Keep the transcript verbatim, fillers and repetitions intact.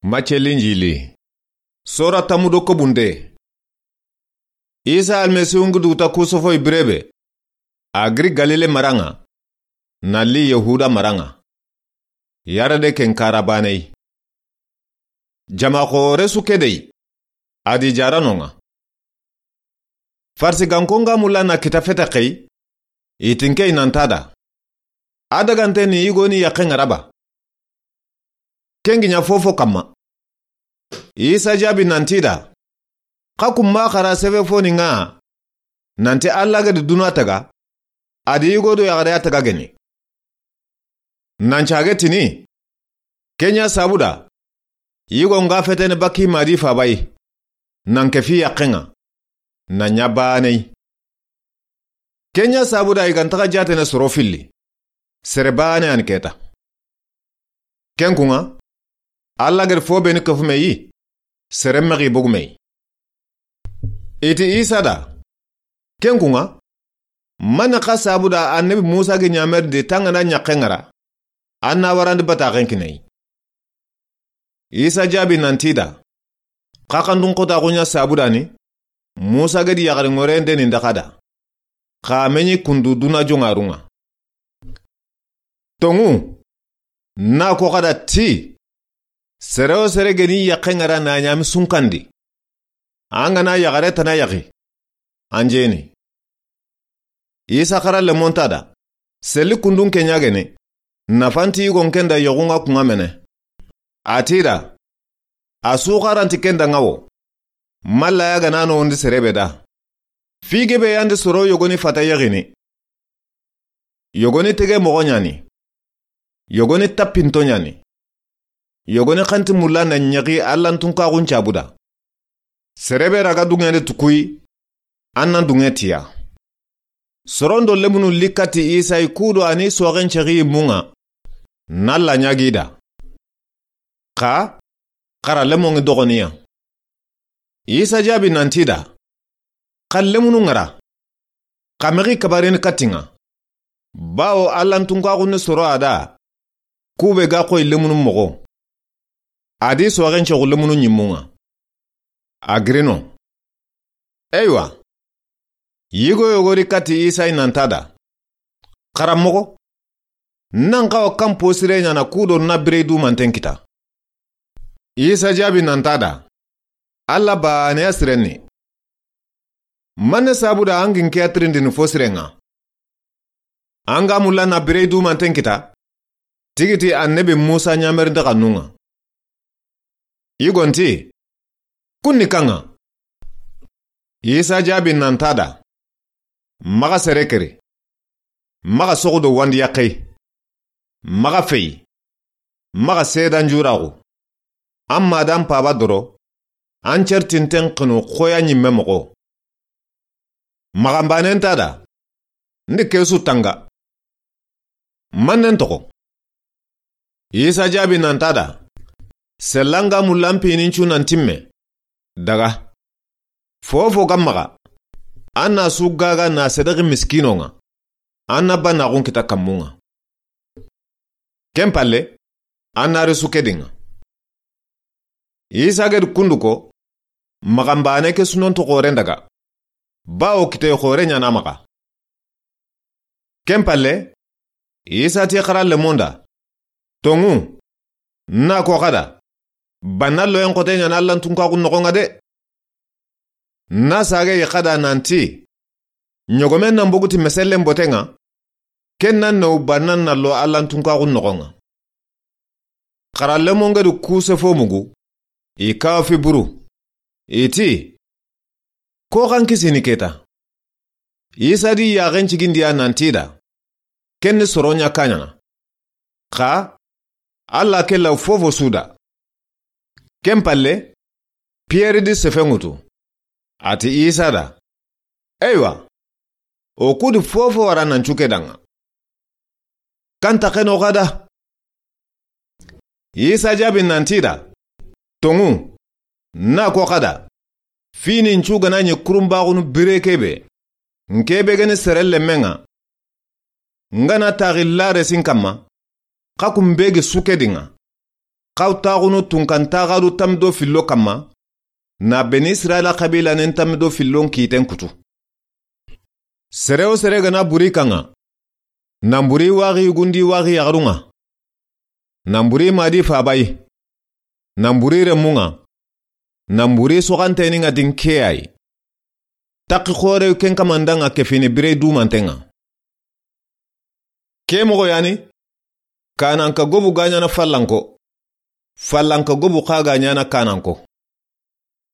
Macce Linjili. Sora tamudo kobunde. Isa Almasihu ngi duta kusofoyi birebe. A giri Galile maranŋa. Na li Yahuda maranŋa. Yarade ken kara baneyi. Jama xoore su kedey. A di jaranonŋa. Farisiganko nga mulla na kita fete xey, i tinkey nanta da. A dagante ni yigo ni yaxe ŋa ra ba. Ken gi ɲa fofo kamma. Isa jaabi nanti da. Xa kumma xara sebe foni ŋa. Nanti Alla ga di duna taga. A di yigo do yaxare ya taga geni. Nan cage tini. Ken ɲa sabuda. Yigo nga fetene baki madi fabayi. Nan ke fi yaxe ŋa. Na ɲa baneyi. Ken ɲa sabuda i ga ntaxa jatene soro filli. Sere bane an keta. Ken kuŋa. Alla ga di fo beni kafumeyi. Sere mexi bogumeyi. I ti Isa da. Ken kuŋa. Mane xa sabuda annabi Musa gi ɲamerindi tangana ɲaxe ŋa ra. An na warandi bataxen kineyi. Isa jaabi nanti da. Xaxandun xotaxu ɲa sabudani. Musa ga di yaxari ŋoren deni ndaxa da. Xa meɲi kundu duna joŋarunŋa. Toŋu. Na ko xa da ti. Sere wo sere geni yaxe ŋa ra na ɲami sunkandi. An ga na yaxare tana yaxi. An jeni. Isa xara lemonta da. Seli kundun ke ɲa geni. Nafanti yigon ken da yoxun ŋa kuŋa mene. A ti da. A su xaranti ken da ŋa wo. Malla ya ga na no wondi sere be da. Fige be yandi soro yogoni fata yaxini. Yogoni tege moxo ɲani. Yogoni tappinto ɲani. Yogoni xanti mulla na ɲexi Allantunkaxun cabuda. Sere be raga duŋe de tukuyi. An na duŋe tiya. Sorondo lemunu li kati Isa yi kudo ani soxen cexi munŋa. Na la ɲagi da. Xa, xara lemonŋi doxoniya. Isa jaabi nanti da. Xa lemunu ŋa ra. Xa mexi kabarini katiŋa. Bawo Allantunkaxu ni soro a da. Kube ga xoyi lemunu moxo. A di soxen cexu lemunu ɲimunŋa. A girino. Eywa. Yigo yogori kati Isa yi nanta da. Xaranmoxo. Nan xawa kan posire ɲana kudo na birey dumanten kita. Isa jaabi nanta da. Alla baneya sirenni. Mane sabuda an gin ke ya tirindini fo sirenŋa. An ga mulla na birey dumanten kita. Tigiti annabi Musa ɲamerindi xannunŋa. Yigonti. Kunni kanŋa. Isa jaabi nanta da. Maxa sere keri. Maxa soxudo wandi yaxey. Maxa fey. Maxa seedan juraxu. An ma dan paba doro. An certinten xinu xoya ɲimme moxo. Maxanbanen ta da. Ndi kesu tanga. Mannen toxo. Isa jaabi nanta da. Sellanga mullan pinin cu nan timme. Daga. Fofo ga maxa. An na su gaga na sedexi miskinonŋa. An na banaxun kita kammunŋa. Ken palle. An na risu kedinŋa. Isa gedi kundu ko. Maxanbane ke sunonto xoren daga. Bawo kite xore ɲana maxa. Ken palle. Isa ti xara lemonda. Toŋu. Na ko xada. Banna loyen xote ɲana Allantunkaxu noxonŋa de. Na sage yi xada nanti. Ɲogomen nan boguti mesellen botenŋa. Ken nan naw bannan na lo Allantunkaxu noxonŋa. Xara lemongedi kuse fo mugu. I kawa fi buru. I ti. Ko xan kisini keta. Isa di yaxen cigindiya nanti da. Ken ni soro ɲa kaɲana. Xa. Alla ke law fofo suda. Ken palle. Piyeri di sefe ŋutu. A ti Isa da. Eywa. O kudi fofo wara nan cuke danŋa. Kanta xeno xada. Isa jaabi nanti da. Toŋu. Na ko xada. Fini ncu gana ɲi kurumbaxunu bire kebe. N kebe gani sere lemmenŋa. N gana taxi lare sin kamma. Xa kun begi suke dinŋa. Xaw taxunu tunkan taxadu tanmi do fillo kanma, na Beni Israila xabiilanen tanmi do fillon kiiten kutu. Sere wo sere ga na buri i kanŋa, nan buri i waxi yugundi, i waxi yaxarun ŋa, nan buri i ma di faaba yi, nan buri i renmun ŋa, nan buri i soxantenin ŋa di n ke ya yi. Taxi xoore ken kaman da ŋa ke fini bire dumanten ŋa. Ke moxo ya ni, kananka gobu ga ɲaana fallanko, fallanka gobu xa ga ɲaana kananko.